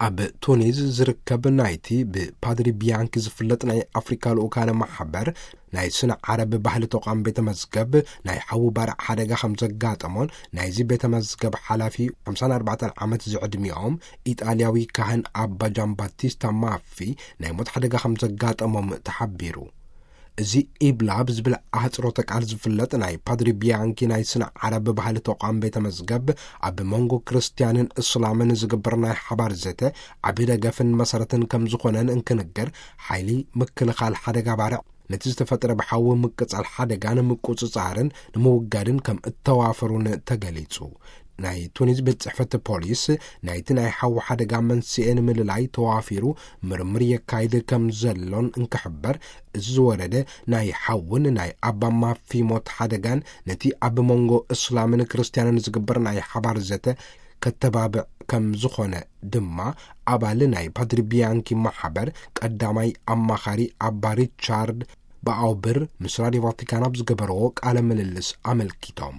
ኣብ ቱኒዝ ዝርከብ ናይቲ ብፓድሪ ቢያንኪ ዝፍለጥ ናይ ኣፍሪካ ልኡካነ ማሕበር ናይ ስነ ዓረብ ባህሊ ተቋም ቤተ መዝገብ፣ ናይ ሓዊ ባርዕ ሓደጋ ከም ዘጋጠሞን ናይዚ ቤተ መዝገብ ሓላፊ ሓምሳን ኣርባዕተን ዓመት ዝዕድሚኦም ኢጣልያዊ ካህን ኣባ ጃምባቲስታ ማፊ ናይ ሞት ሓደጋ ከም ዘጋጠሞም ተሓቢሩ። እዚ ኢብላ ብዝብል ኣህጽሮተ ቃል ዝፍለጥ ናይ ፓድሪ ቢያንኪ ናይ ስነ ዓረብ ባህሊ ተቋም ቤተ መዝገብ፣ ኣብ መንጎ ክርስትያንን እስላምን ዝግበር ናይ ሓባር ዘተ ዓቢ ደገፍን መሰረትን ከም ዝኾነን እንክንገር፣ ሓይሊ ምክልኻል ሓደጋ ባርዕ ነቲ ዝተፈጠረ ብሓዊ ምቅጻል ሓደጋ ንምቁጽጻርን ንምውጋድን ከም እተዋፈሩን ተገሊጹ። ናይ ቱኒዝ ቤት ጽሕፈት ፖሊስ ናይቲ ናይ ሓዊ ሓደጋ መንስኤ ንምልላይ ተዋፊሩ ምርምር የካይድ ከም ዘሎን እንክሕበር፣ እዚ ዝወረደ ናይ ሓውን ናይ ኣባ ማፊ ሞት ሓደጋን ነቲ ኣብ መንጎ እስላምን ክርስትያንን ዝግበር ናይ ሓባር ዘተ ከተባብዕ ከም ዝኾነ ድማ ኣባል ናይ ፓድሪ ቢያንኪ ማሕበር ቀዳማይ ኣማኻሪ ኣባ ሪቻርድ ብኣውብር ምስ ራድዮ ቫቲካን ኣብ ዝገበርዎ ቃለ ምልልስ ኣመልኪቶም።